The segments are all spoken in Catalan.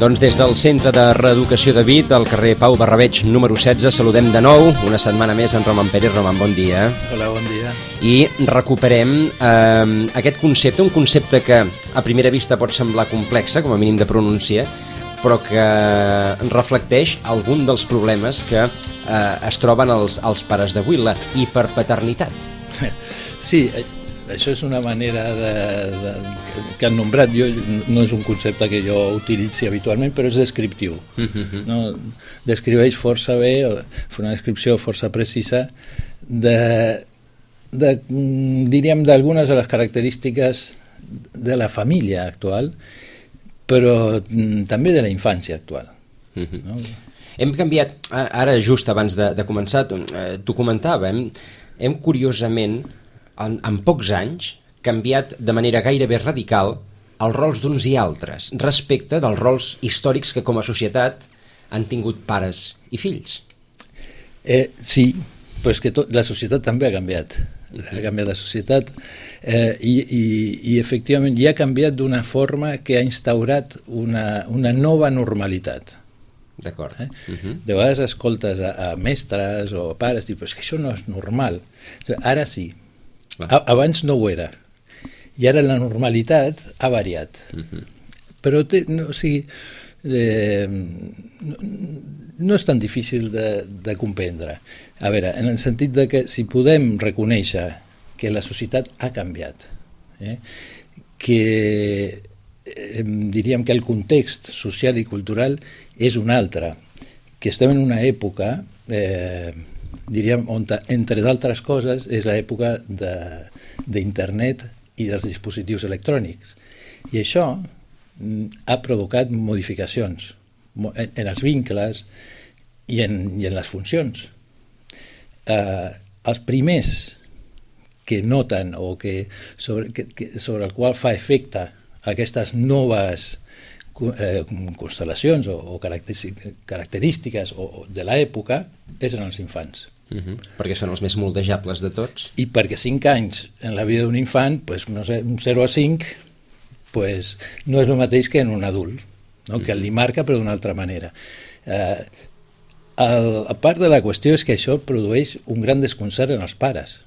Doncs des del Centre de Reeducació de Vic, al carrer Pau Barrabeig número 16, saludem de nou una setmana més en Roman Pérez. Roman, bon dia. Hola, bon dia. I recuperem aquest concepte, un concepte que a primera vista pot semblar complexa, com a mínim de pronunciar, però que reflecteix algun dels problemes que es troben els pares d'avui, la hiperpaternitat. Sí, això és una manera que han nombrat. No és un concepte que jo utilitzi habitualment, però és descriptiu. No? Descriveix força bé, fa una descripció força precisa diríem, d'algunes de les característiques de la família actual, però també de la infància actual. No? Hem canviat, ara just abans de començar, t'ho comentava, hem curiosament, en pocs anys, canviat de manera gairebé radical els rols d'uns i altres respecte dels rols històrics que com a societat han tingut pares i fills. Sí, però és que la societat també ha canviat. Ha canviat la societat i efectivament ja ha canviat d'una forma que ha instaurat una nova normalitat. D'acord. De vegades escoltes a mestres o pares i dius, però és que això no és normal. Ara sí. Abans no ho era. I ara la normalitat ha variat. Però no és tan difícil de comprendre. A veure, en el sentit de que si podem reconèixer que la societat ha canviat, que diríem que el context social i cultural és un altre, que estem en una època, diríem, on, entre d'altres coses, és l'època d'internet i dels dispositius electrònics. I això ha provocat modificacions en els vincles i en les funcions. Els primers que noten o sobre el qual fa efecte aquestes noves constel·lacions o característiques de l'època són els infants. Perquè són els més moldejables de tots. I perquè 5 anys en la vida d'un infant, no sé, un 0 a 5, no és el mateix que en un adult, no? Que li marca però d'una altra manera. A part de la qüestió és que això produeix un gran desconcert en els pares.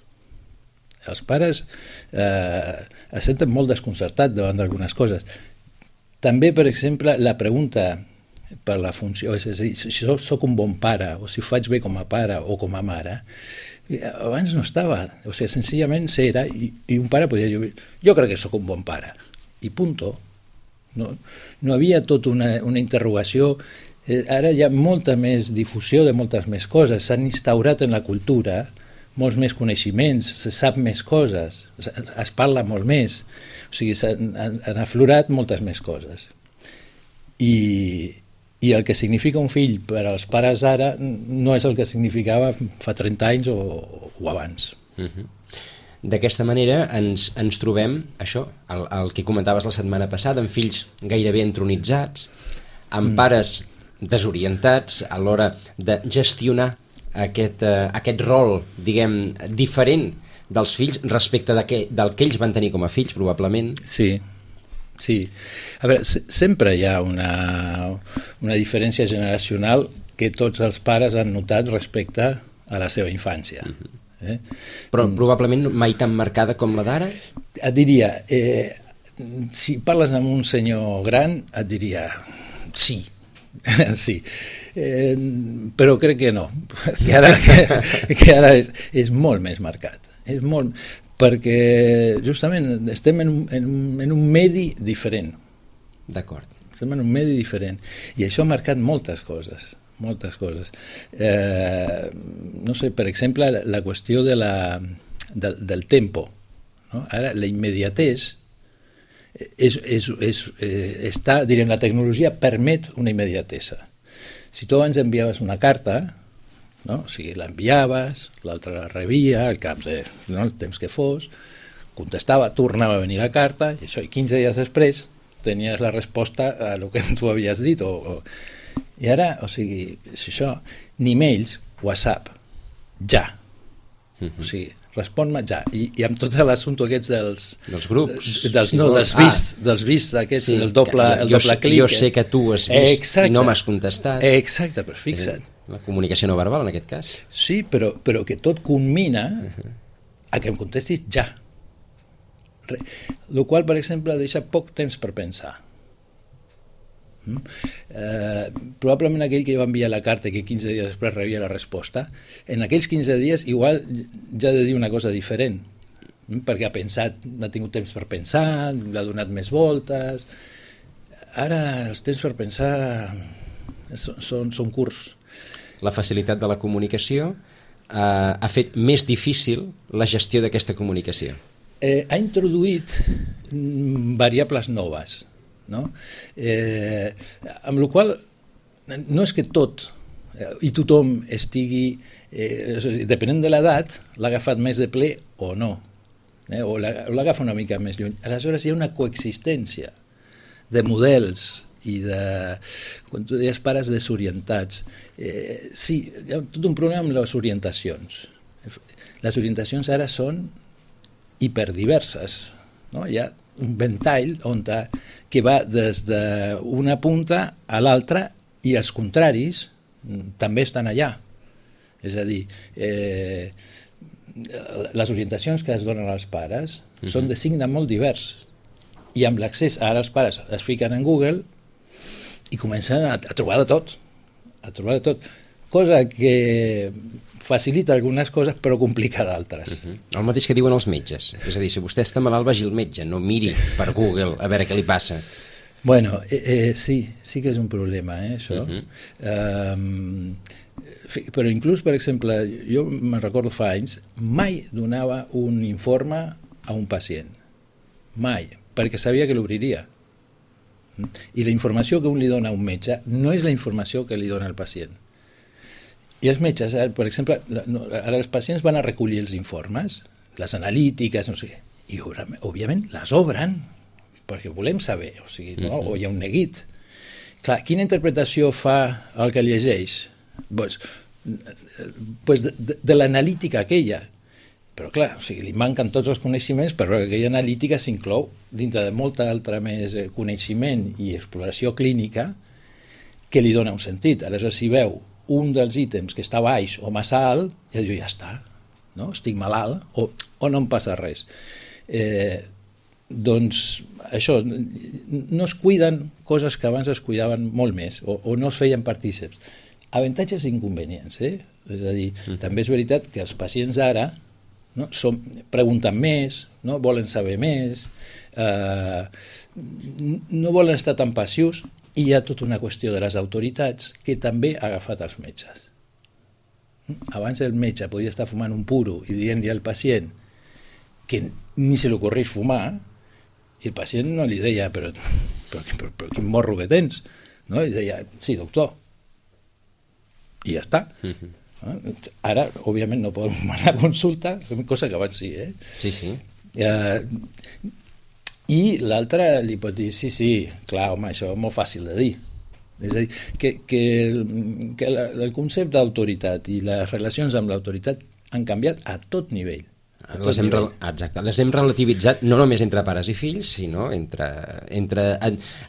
Els pares es senten molt desconcertats davant d'algunes coses. També, per exemple, la pregunta per la funció, és a dir, si jo soc un bon pare o si ho faig bé com a pare o com a mare, abans no estava. O sigui, senzillament era, i un pare podia dir, jo crec que sóc un bon pare, i punto. No havia tota una interrogació. Ara hi ha molta més difusió de moltes més coses, s'han instaurat en la cultura molts més coneixements, se sap més coses, es parla molt més, o sigui, han aflorat moltes més coses. I el que significa un fill per als pares ara no és el que significava fa 30 anys o abans. D'aquesta manera ens trobem, això, el que comentaves la setmana passada, amb fills gairebé entronitzats, amb pares desorientats a l'hora de gestionar aquest rol, diguem, diferent dels fills respecte del que ells van tenir com a fills, probablement. Sí. A veure, sempre hi ha una diferència generacional que tots els pares han notat respecte a la seva infància. Però probablement mai tan marcada com la d'ara? Et diria, si parles amb un senyor gran, et diria sí. Sí. Però crec que no, que ara és molt més marcat. És molt, perquè justament estem en un medi diferent. D'acord. Estem en un medi diferent i això ha marcat moltes coses. No sé, per exemple, la qüestió del tempo, no? Ara la immediatesa direm, la tecnologia permet una immediatesa. Si tu abans enviaves una carta, no? O sigui, l'enviaves, l'altre la rebia, al cap de el temps que fos, contestava, tornava a venir la carta, i 15 dies després tenies la resposta a el que tu havies dit. I ara, o sigui, si això, ni mails, WhatsApp, ja. O sigui, respon-me ja. I amb tot l'assumpte aquests dels grups. Dels vists aquests, el doble clic. Jo sé que tu has vist i no m'has contestat. Exacte, però fixa't. La comunicació no verbal, en aquest cas. Sí, però que tot culmina a que em contestis ja. El qual, per exemple, deixa poc temps per pensar. Probablement aquell que va enviar la carta que 15 dies després rebia la resposta, en aquells 15 dies igual ja ha de dir una cosa diferent, perquè ha tingut temps per pensar, l'ha donat més voltes. Ara els temps per pensar són curts. La facilitat de la comunicació ha fet més difícil la gestió d'aquesta comunicació. Ha introduït variables noves, no? Amb la qual no és que tot i tothom estigui depenent de l'edat l'ha agafat més de ple o no, o l'agafa una mica més lluny. Aleshores hi ha una coexistència de models i de, quan tu deies pares desorientats, sí, hi ha tot un problema amb les orientacions. Les orientacions ara són hiperdiverses, no? Hi ha un ventall que va des d'una punta a l'altra i els contraris també estan allà. És a dir, les orientacions que es donen als pares són de signe molt divers i amb l'accés, ara els pares es fiquen en Google i comencen a trobar de tot, cosa que facilita algunes coses però complica d'altres. El mateix que diuen els metges, és a dir, si vostè està malalt vagi al metge, no miri per Google a veure què li passa. Bueno, sí que és un problema, això. Però inclús, per exemple, jo me'n recordo fa anys, mai donava un informe a un pacient, mai, perquè sabia que l'obriria. I la informació que un li dona a un metge no és la informació que li dona al pacient. I els metges, per exemple, ara els pacients van a recollir els informes, les analítiques, no sé, i òbviament les obren, perquè volem saber, o sigui, no? O hi ha un neguit. Clar, quina interpretació fa el que llegeix? Pues de l'analítica aquella. Però clar, o sigui, li manquen tots els coneixements, però aquella analítica s'inclou dintre de molta altra més coneixement i exploració clínica que li dona un sentit. Aleshores, si veu un dels ítems que està baix o massa alt, ja diu, ja està, no? Estic malalt o no em passa res. Doncs això, no es cuiden coses que abans es cuidaven molt més o no es feien partíceps. Avantatges i inconvenients, És a dir, també és veritat que els pacients ara pregunten més, no? Volen saber més, no volen estar tan passius, i hi ha tota una qüestió de les autoritats que també ha agafat els metges. Abans el metge podia estar fumant un puro i dient-li al pacient que ni se li ocorreix fumar, i el pacient no li deia però quin morro que tens, no? I deia, sí, doctor, i ja està. Ara, òbviament, no poden anar a consulta, cosa que abans sí, Sí. I l'altre li pot dir, sí, clar, home, això és molt fàcil de dir. És a dir, que el concepte d'autoritat i les relacions amb l'autoritat han canviat a tot nivell. Exacte, les hem relativitzat no només entre pares i fills, sinó entre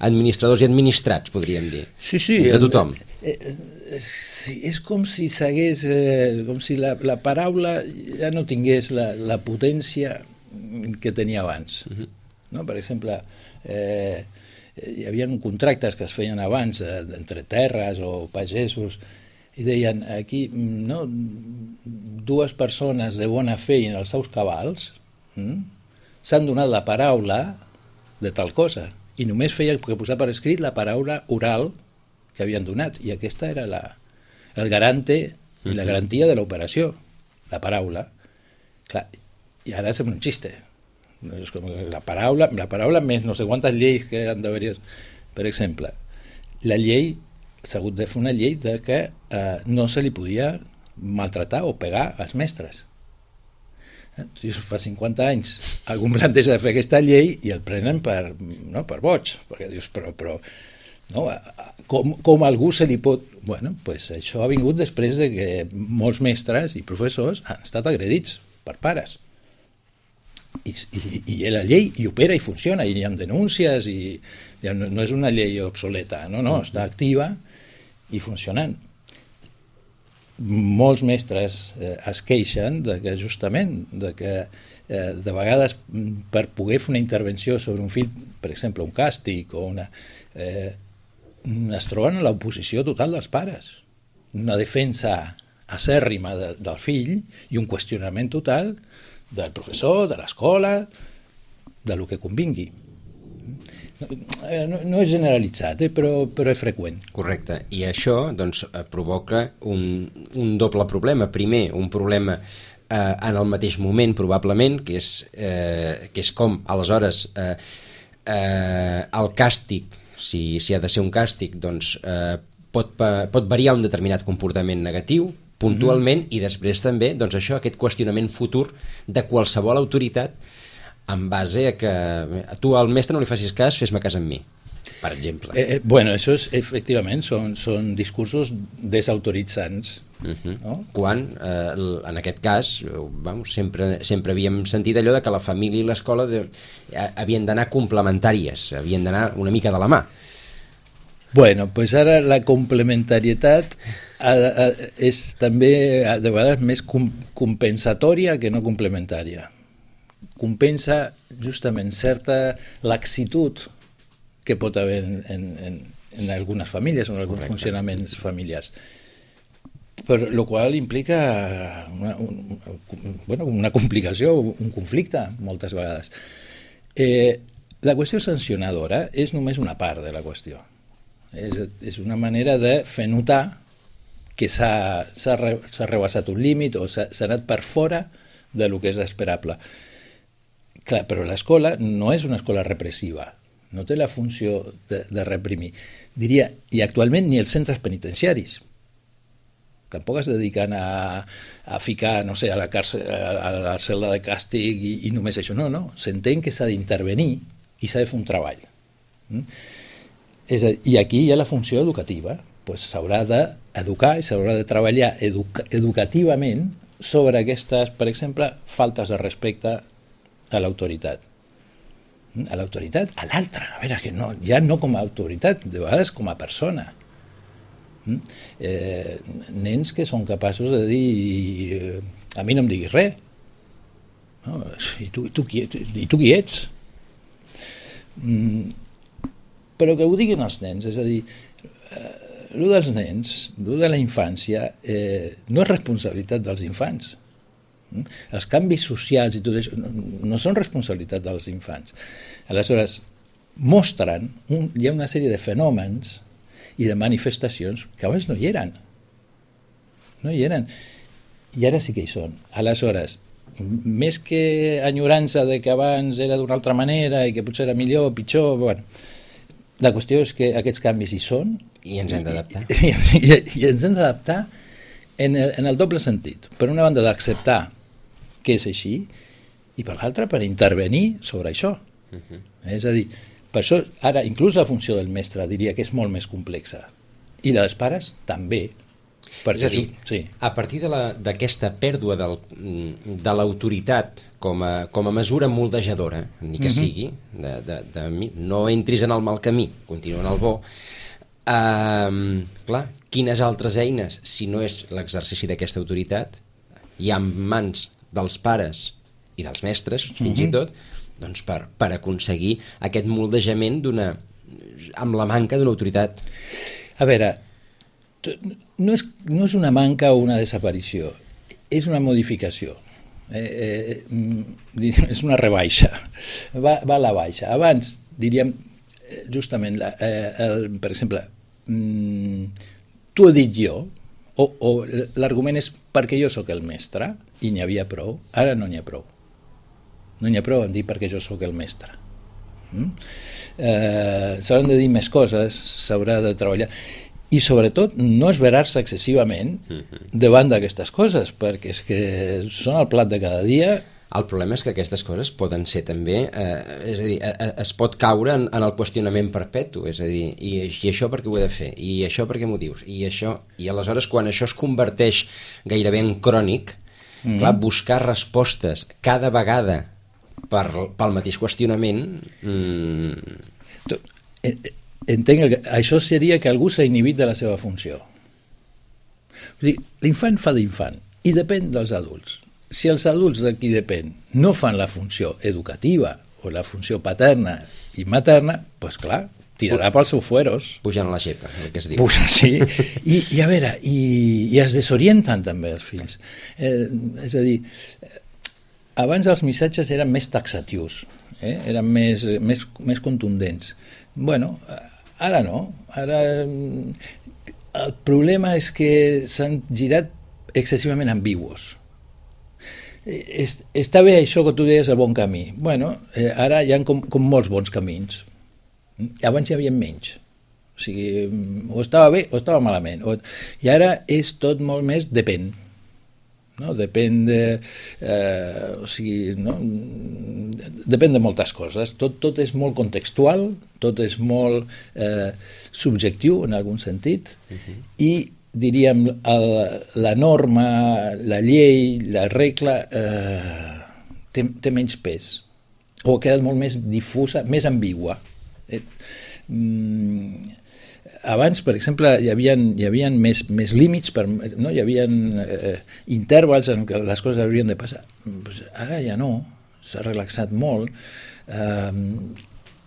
administradors i administrats, podríem dir. Sí, entre tothom. És com si s'hagués, com si la paraula ja no tingués la potència que tenia abans. No? Per exemple, hi havia contractes que es feien abans entre terres o pagesos i deien aquí dues persones de bona fe i en els seus cabals s'han donat la paraula de tal cosa i només feia que posar per escrit la paraula oral que havien donat i aquesta era el garante i la garantia de l'operació, la paraula. Clar, i ara sembla un xiste. És com la paraula més no sé quantes lleis que han d'haver-hi. Per exemple, la llei s'ha hagut de fer una llei de que no se li podia maltratar o pegar als mestres. Fa 50 anys algú planteja de fer aquesta llei i el prenen per boig, perquè dius, però no, com a algú se li pot... Bueno, pues això ha vingut després de que molts mestres i professors han estat agredits per pares. I la llei hi opera i funciona, i hi ha denúncies, i no és una llei obsoleta, no, està activa i funcionant. Molts mestres es queixen de que justament de vegades per poder fer una intervenció sobre un fill, per exemple un càstig o es troben en l'oposició total dels pares, una defensa acèrrima del fill i un qüestionament total del professor, de l'escola, de lo que convingui. No és generalitzat, però és freqüent. Correcte, i això doncs, provoca un doble problema. Primer, un problema en el mateix moment, probablement, que és com, aleshores, el càstig, si ha de ser un càstig, doncs pot variar un determinat comportament negatiu, puntualment, i després també doncs això, aquest qüestionament futur de qualsevol autoritat en base a que tu al mestre no li facis cas, fes-me cas amb mi, per exemple. Bueno, això efectivament són discursos desautoritzants. No? Quan, en aquest cas, sempre havíem sentit allò de que la família i l'escola havien d'anar complementàries, havien d'anar una mica de la mà. Bueno, pues ara la complementarietat és també de vegades més compensatòria que no complementària. Compensa justament certa laxitud que pot haver en algunes famílies o en alguns funcionaments familiars, per lo qual implica una complicació, un conflicte moltes vegades. La qüestió sancionadora és només una part de la qüestió. És una manera de fer notar que s'ha rebassat un límit o s'ha anat per fora de lo que és esperable. Clar, però l'escola no és una escola repressiva, no té la funció de reprimir. Diria, i actualment ni els centres penitenciaris. Tampoc es dediquen a ficar, no sé, a la càrcel, a la cel·la de càstig i només això. No, s'entén que s'ha d'intervenir i s'ha de fer un treball. I aquí hi ha la funció educativa. S'haurà d'educar i s'haurà de treballar educativament sobre aquestes, per exemple, faltes de respecte a l'autoritat. A l'autoritat, a l'altre, a veure, que no, ja no com a autoritat, de vegades com a persona. Nens que són capaços de dir a mi no em diguis res. No? I tu qui ets? Però que ho diguin els nens, és a dir, el dels nens, el de la infància, no és responsabilitat dels infants. Els canvis socials i tot això no són responsabilitat dels infants. Aleshores, mostren, hi ha una sèrie de fenòmens i de manifestacions que abans no hi eren. No hi eren. I ara sí que hi són. Aleshores, més que enyorança de que abans era d'una altra manera i que potser era millor o pitjor, bueno, la qüestió és que aquests canvis hi són i ens hem d'adaptar. I ens hem d'adaptar en el doble sentit. Per una banda, d'acceptar que és així, i per l'altra, per intervenir sobre això. És a dir, per això ara inclús la funció del mestre diria que és molt més complexa. I la dels pares també. És a dir, sí. A partir d'aquesta pèrdua de l'autoritat com a mesura moldejadora, ni que sigui, no entris en el mal camí, continua en el bo, clar, quines altres eines, si no és l'exercici d'aquesta autoritat, hi ha en mans dels pares i dels mestres, fins i tot, doncs per aconseguir aquest moldejament amb la manca d'una autoritat. A veure, no és una manca o una desaparició, és una modificació. És una rebaixa, va a la baixa. Abans, diríem, justament, per exemple, t'ho he dit jo, o l'argument és perquè jo sóc el mestre, i n'hi havia prou. Ara no n'hi ha prou. No n'hi ha prou en dir perquè jo sóc el mestre. S'hauran de dir més coses, s'haurà de treballar. I sobretot no esverar-se excessivament davant d'aquestes coses, perquè és que són el plat de cada dia. El problema és que aquestes coses poden ser també, és a dir, es pot caure en el qüestionament perpetu, és a dir, i això per què ho he de fer, i això per què motius, i això, i aleshores quan això es converteix gairebé en crònic, clar, buscar respostes cada vegada pel mateix qüestionament... Entenc que això seria que algú s'ha inhibit de la seva funció. L'infant fa d'infant i depèn dels adults. Si els adults de qui depèn no fan la funció educativa o la funció paterna i materna, doncs clar, tirarà pels seus fueros. Pujant la xepa, el que es diu. Sí. I a veure, i es desorienten també els fills. És a dir, abans els missatges eren més taxatius, eren més contundents. Bueno, ara no. Ara el problema és que s'han girat excessivament ambigus. Està bé això que tu deies, el bon camí. Bueno, ara hi ha com molts bons camins. Abans hi havia menys. O sigui, o estava bé o estava malament. I ara és tot molt més depèn. No? Depèn de... o sigui, no? Depèn de moltes coses. Tot és molt contextual, tot és molt subjectiu en algun sentit, i diríem la norma, la llei, la regla té menys pes, o ha quedat molt més difusa, més ambigua. Abans, per exemple, hi havia més límits, no? Hi havia intervals en què les coses haurien de passar. Ara ja no, s'ha relaxat molt,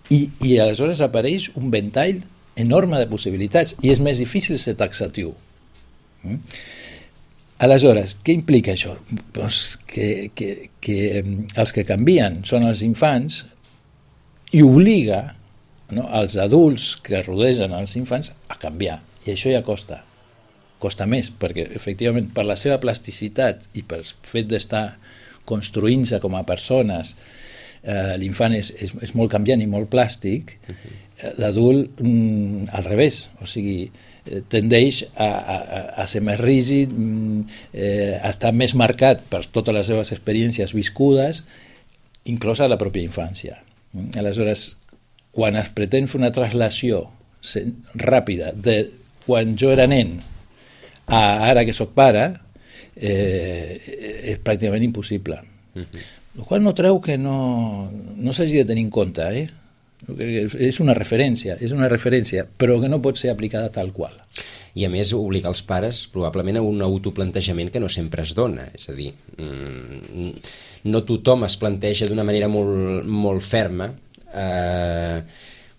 i aleshores apareix un ventall enorme de possibilitats i és més difícil ser taxatiu. Aleshores, què implica això? Doncs que els que canvien són els infants i obliga, no, els adults que rodegen els infants a canviar, i això ja costa més, perquè efectivament per la seva plasticitat i pel fet d'estar construint-se com a persones, l'infant és molt canviant i molt plàstic, l'adult al revés, o sigui, tendeix a ser més rígid, a estar més marcat per totes les seves experiències viscudes, inclosa la pròpia infància. Aleshores, quan es pretén fer una translació ràpida de quan jo era nen a ara que sóc pare, és pràcticament impossible. El qual no treu que no s'hagi de tenir en compte, és una referència, però que no pot ser aplicada tal qual. I a més obliga els pares probablement a un autoplantejament que no sempre es dona, és a dir, no tothom es planteja d'una manera molt, molt ferma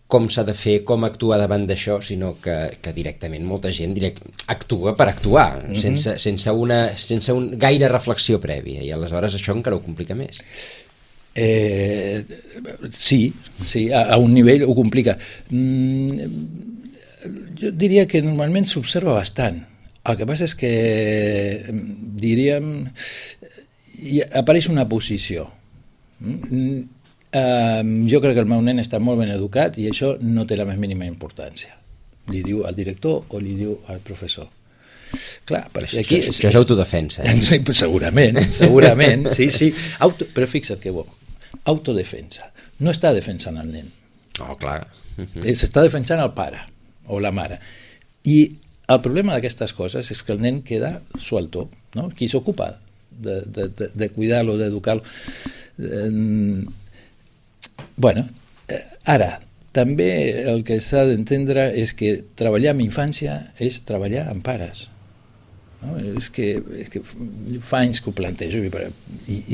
com s'ha de fer, com actuar davant d'això, sinó que directament molta gent actua per actuar, sense un gaire reflexió prèvia, i aleshores això encara ho complica més. Sí, a un nivell ho complica. Jo diria que normalment s'observa bastant. El que passa és que, diríem, apareix una posició. Jo crec que el meu nen està molt ben educat i això no té la més mínima importància. Li diu al director o li diu al professor. Clar, perquè aquí... Això és autodefensa. Sí, segurament, sí. Però fixa't que bo, autodefensa. No està defensant el nen. Oh, clar. S'està defensant el pare o la mare. I el problema d'aquestes coses és que el nen queda suelto, no? Qui s'ocupa de cuidar-lo, d'educar-lo. Bueno, ara, també el que s'ha d'entendre és que treballar amb infància és treballar amb pares. No? És que fa anys que ho plantejo i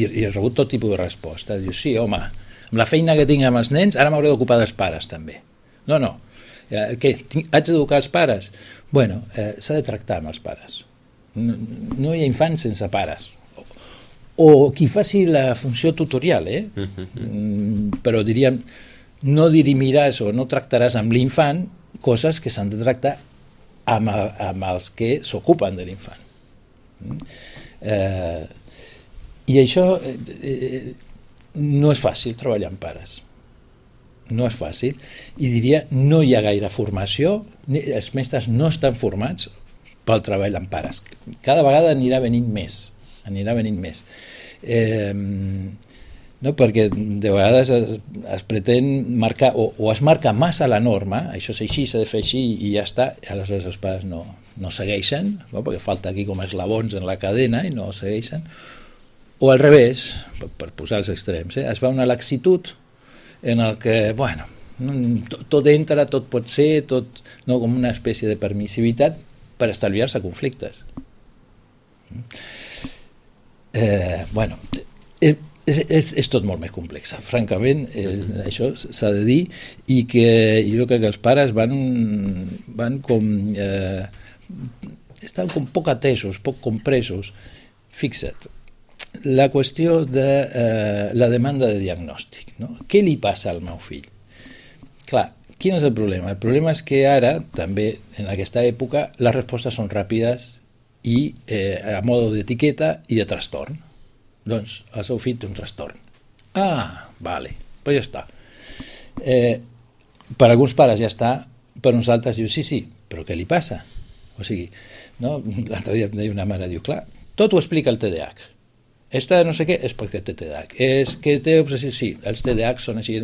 he rebut tot tipus de resposta. Diu, sí, home, amb la feina que tinc amb els nens, ara m'hauré d'ocupar dels pares també. No. Què? Haig d'educar els pares? Bueno, s'ha de tractar amb els pares. No hi ha infants sense pares. O qui faci la funció tutorial, però diríem, no dirimiràs o no tractaràs amb l'infant coses que s'han de tractar amb els que s'ocupen de l'infant. I això no és fàcil, treballar amb pares. No és fàcil. I diria, no hi ha gaire formació, els mestres no estan formats pel treball amb pares. Cada vegada anirà venint més. No, perquè de vegades es pretén marcar o es marca massa la norma, això és així, s'ha de fer així i ja està, i aleshores els pares no segueixen, no? Perquè falta aquí com eslabons en la cadena i no segueixen, O al revés, per posar els extrems, es va una laxitud en el que, bueno, tot entra, tot pot ser, tot, no, com una espècie de permissivitat per estalviar-se conflictes. Bueno, és tot molt més complex, francament, això s'ha de dir, i que jo crec que els pares van com estan com poc atesos, poc compresos. Fixa't, la qüestió de la demanda de diagnòstic, no? Què li passa al meu fill? Clar, quin és el problema? El problema és que ara, també en aquesta època, les respostes són ràpides i a modo d'etiqueta i de trastorn. Doncs el seu fill té un trastorn. Ah, vale, pues ja està. Per alguns pares ja està, per uns altres diu, sí, però què li passa? O sigui, no? L'altre dia em deia una mare, diu, clar, tot ho explica el TDAH. Esta no sé què és perquè té TDAH. És que té obsessió, sí, els TDAH són així,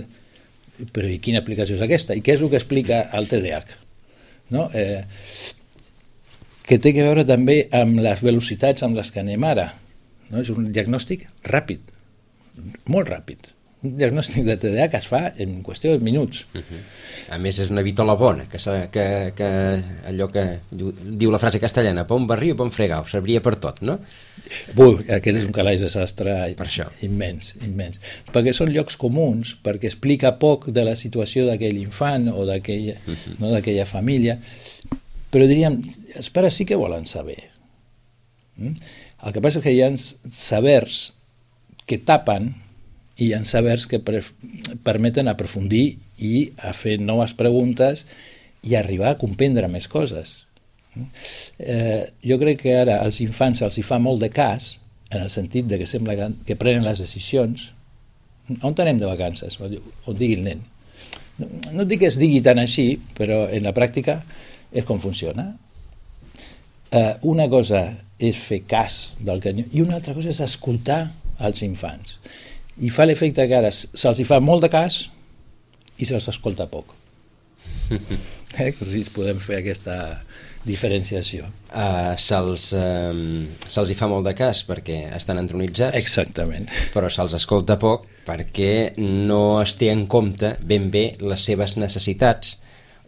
però i quina aplicació és aquesta? I què és el que explica el TDAH? No? Que té a veure també amb les velocitats amb les que anem ara. No? És un diagnòstic ràpid, molt ràpid. Un diagnòstic de TDAH es fa en qüestió de minuts. A més, és una vitola bona, que allò que diu la frase castellana, pa un barril, pa un fregau, serviria per tot, no? Aquest és un calaix de sastre immens. Perquè són llocs comuns, perquè explica poc de la situació d'aquell infant o d'aquella família, però diríem, els pares sí que volen saber. El que passa és que hi ha sabers que tapen i hi ha sabers que permeten aprofundir i a fer noves preguntes i arribar a comprendre més coses. Jo crec que ara als infants se'ls fa molt de cas, en el sentit de que sembla que prenen les decisions. On anem de vacances? O digui el nen. No dic que es digui tant així, però en la pràctica és com funciona. Una cosa és fer cas del que... i una altra cosa és escoltar els infants. I fa l'efecte que ara se'ls fa molt de cas i se'ls escolta poc. Si podem fer aquesta diferenciació. Se'ls fa molt de cas perquè estan entronitzats. Exactament. Però se'ls escolta poc perquè no es té en compte ben bé les seves necessitats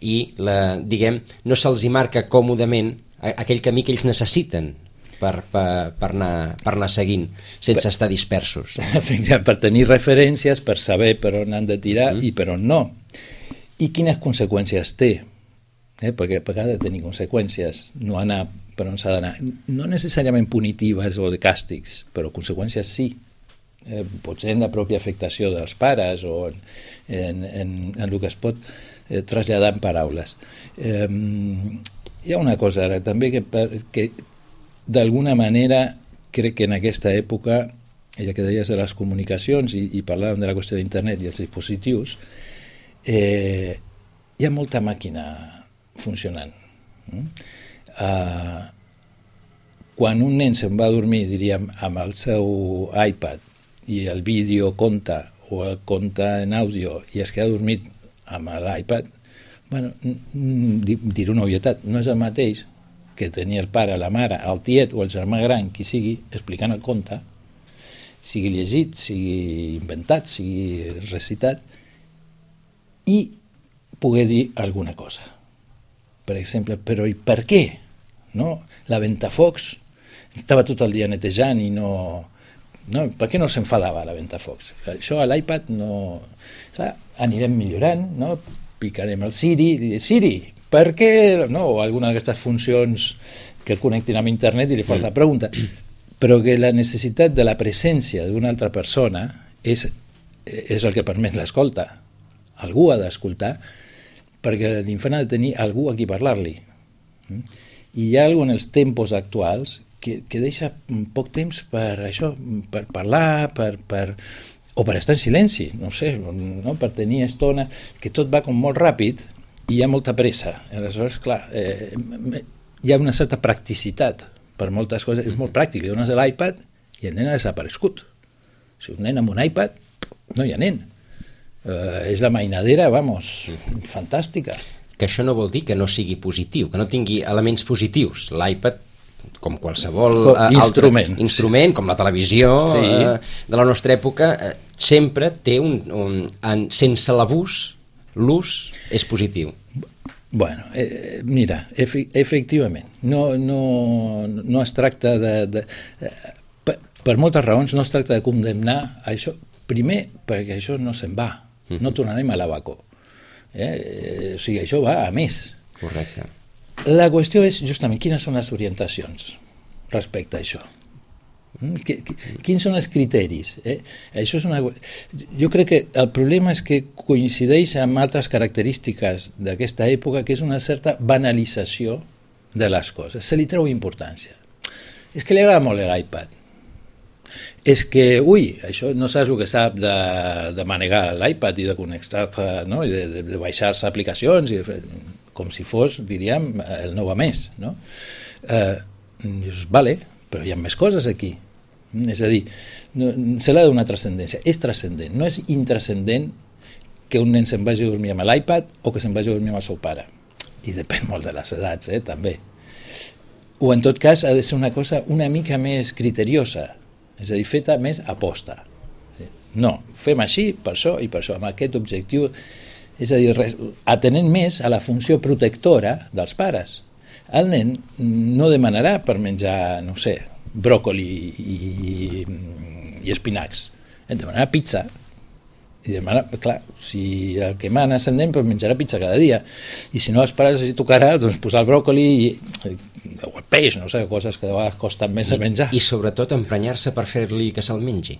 i, no se'ls marca còmodament aquell camí que ells necessiten per anar seguint sense estar dispersos. Per tenir referències, per saber per on han de tirar i per on no. I quines conseqüències té? Perquè ha de tenir conseqüències, no anar per on s'ha d'anar. No necessàriament punitives o de càstigs, però conseqüències sí. Potser en la pròpia afectació dels pares o en el que es pot traslladar en paraules. Hi ha una cosa ara també que d'alguna manera crec que en aquesta època, ja que deies de les comunicacions i parlàvem de la qüestió d'internet i els dispositius, hi ha molta màquina funcionant. Quan un nen se'n va a dormir, diríem, amb el seu iPad i el vídeo compta o el compta en àudio i es queda dormit amb l'iPad, bueno, diré una obvietat, no és el mateix que tenir el pare, la mare, el tiet o el germà gran, qui sigui, explicant el conte, sigui llegit, sigui inventat, sigui recitat, i poder dir alguna cosa. Per exemple, però i per què? No? La Ventafocs estava tot el dia netejant i no... Per què no s'enfadava la Ventafocs? Això a l'iPad no... Clar, anirem millorant, no? Picarem el Siri, Siri, per què? No? O alguna d'aquestes funcions que connectin amb internet i li fa la pregunta. Però que la necessitat de la presència d'una altra persona és el que permet l'escolta. Algú ha d'escoltar perquè l'infant ha de tenir algú a qui parlar-li. I hi ha alguna en els tempos actuals que deixa poc temps per això, per parlar, o per estar en silenci, no sé, no? Per tenir estona, que tot va com molt ràpid i hi ha molta pressa. Aleshores, clar, hi ha una certa practicitat per moltes coses, és molt pràctic, li dones l'iPad i el nen ha desaparegut. Si un nen amb un iPad, no hi ha nen. És la mainadera, fantàstica. Que això no vol dir que no sigui positiu, que no tingui elements positius. L'iPad com qualsevol instrument, com la televisió de la nostra època, sempre té sense l'abús, l'ús és positiu. Bueno, mira, efectivament, no es tracta per moltes raons no es tracta de condemnar això, primer perquè això no se'n va, no tornarem a l'abacó. O sigui, això va a més. Correcte. La qüestió és justament quines són les orientacions respecte a això. Quins són els criteris? Això és jo crec que el problema és que coincideix amb altres característiques d'aquesta època, que és una certa banalització de les coses. Se li treu importància. És que li agrada molt l'iPad. És que, això no saps el que sap de manegar l'iPad i de connectar-te, no? I de baixar-se aplicacions, com si fos, diríem, el nou a més. No? Dius, vale, però hi ha més coses aquí. És a dir, se l'ha de donar transcendència. És transcendent, no és intrascendent que un nen se'n vagi a dormir amb l'iPad o que se'n vagi a dormir amb el seu pare. I depèn molt de les edats, també. O en tot cas ha de ser una cosa una mica més criteriosa, és a dir, feta més aposta. No, fem així, per això i per això, amb aquest objectiu, és a dir, atenent més a la funció protectora dels pares. El nen no demanarà per menjar, no sé, bròcoli i espinacs, demanarà pizza. I demana, clar, si el que mana és el nen, doncs menjarà pizza cada dia. I si no, els pares els tocarà posar el bròcoli o el peix, no sé, coses que de vegades costen més de menjar. I sobretot emprenyar-se per fer-li que se'l mengi.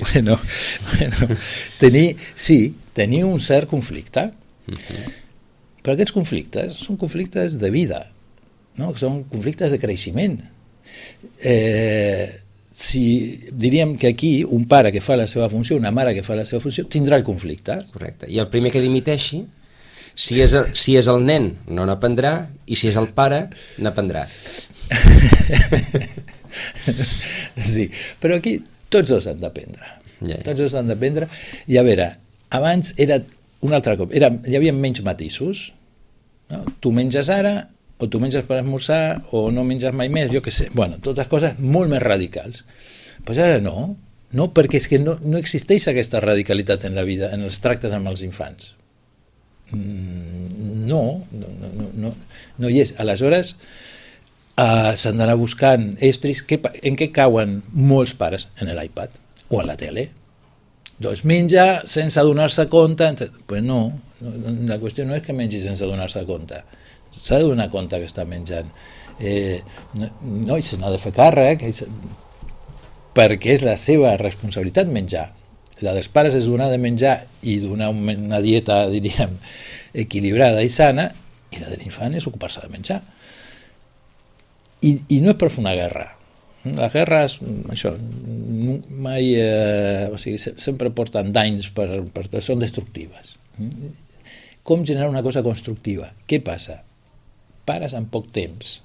Bueno, tenir un cert conflicte. Però aquests conflictes són conflictes de vida, no? Són conflictes de creixement. Diríem que aquí un pare que fa la seva funció, una mare que fa la seva funció, tindrà el conflicte. Correcte. I el primer que dimiteixi, si és el nen, no n'aprendrà, i si és el pare, n'aprendrà. Sí, però aquí tots dos han d'aprendre. Tots dos han d'aprendre. I a veure, abans era un altre cop, hi havia menys matisos. No? Tu menges ara, o tu menges per esmorzar, o no menges mai més, jo què sé. Bueno, totes coses molt més radicals. Però ara no, perquè és que no existeix aquesta radicalitat en la vida, en els tractes amb els infants. No hi és. Aleshores, s'han d'anar buscant estris. En què cauen molts pares? En l'iPad o en la tele. Doncs menja sense adonar-se compte. Pues no, la qüestió no és que mengi sense adonar-se compte. S'ha de donar compte que està menjant. No, i se n'ha de fer càrrec, perquè és la seva responsabilitat menjar. La dels pares és donar de menjar i donar una dieta, diríem, equilibrada i sana, i la de l'infant és ocupar-se de menjar. I no és per fer una guerra. Les guerres, això, mai, sempre porten danys, són destructives. Com generar una cosa constructiva? Què passa? Pares en poc temps,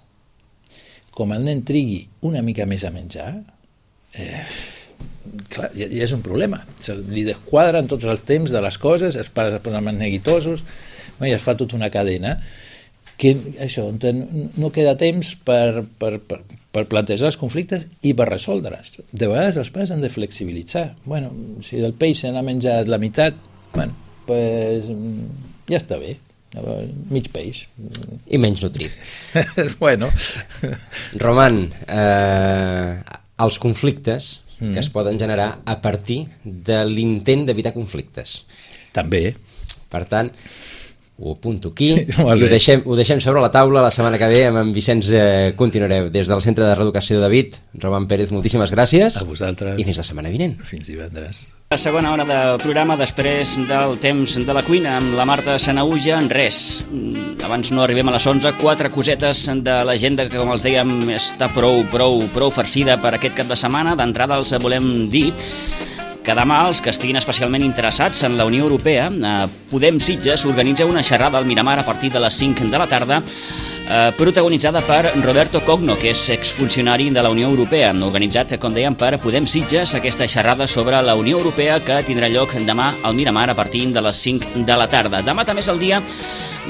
com el nen trigui una mica més a menjar, clar, ja és un problema. Li desquadren tots els temps de les coses, els pares es posen més neguitosos, i es fa tota una cadena que això, no queda temps per plantejar els conflictes i per resoldre'ls. De vegades els pares han de flexibilitzar. Bueno, si el peix se n'ha menjat la meitat, bueno, pues ja està bé. Mig peix. I menys nutrit. Bueno. Roman, els conflictes que es poden generar a partir de l'intent d'evitar conflictes. També. Per tant, ho apunto aquí i ho deixem sobre la taula. La setmana que ve amb en Vicenç continuareu. Des del Centre de Reeducació David, Roman Pérez, moltíssimes gràcies. A vosaltres. I fins la setmana vinent. Fins divendres. La segona hora del programa, després del temps de la cuina amb la Marta Sanaüja, en res. Abans no arribem a les 11, 4 cosetes de l'agenda que, com els dèiem, està prou farcida per aquest cap de setmana. D'entrada els volem dir que demà els que estiguin especialment interessats en la Unió Europea, Podem Sitges organitza una xerrada al Miramar a partir de les 5 de la tarda, protagonitzada per Roberto Cogno, que és exfuncionari de la Unió Europea, organitzat, com dèiem, per Podem Sitges, aquesta xerrada sobre la Unió Europea que tindrà lloc demà al Miramar a partir de les 5 de la tarda. Demà també és el dia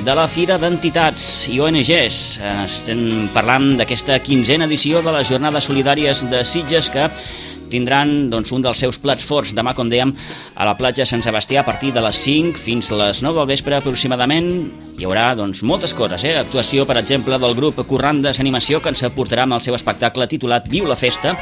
de la Fira d'Entitats i ONGs. Estem parlant d'aquesta 15a edició de les Jornades Solidàries de Sitges, que tindran un dels seus plats forts demà, com dèiem, a la platja Sant Sebastià a partir de les 5 fins a les 9 del vespre aproximadament. Hi haurà moltes coses, actuació, per exemple, del grup Corrandes Animació, que ens aportarà amb el seu espectacle titulat Viu la Festa.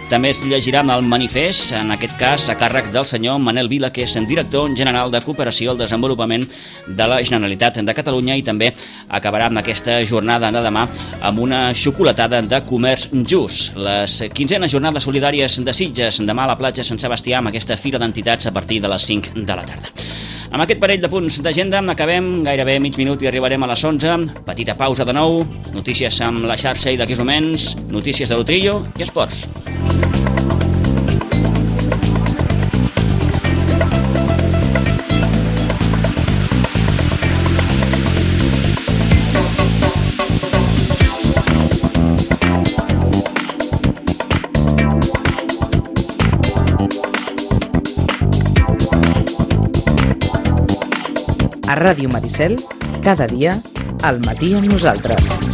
També es llegirà el manifest, en aquest cas a càrrec del senyor Manel Vila, que és director general de Cooperació al Desenvolupament de la Generalitat de Catalunya, i també acabarà amb aquesta jornada de demà amb una xocolatada de comerç just. Les 15enes Jornades Solidàries de Sitges, demà a la platja Sant Sebastià, amb aquesta Fira d'Entitats a partir de les 5 de la tarda. Amb aquest parell de punts d'agenda acabem, gairebé mig minut i arribarem a les 11. Petita pausa de nou, notícies amb la xarxa i d'aquí uns moments, notícies de l'Utrillo i esports. A Ràdio Maricel, cada dia, al matí amb nosaltres.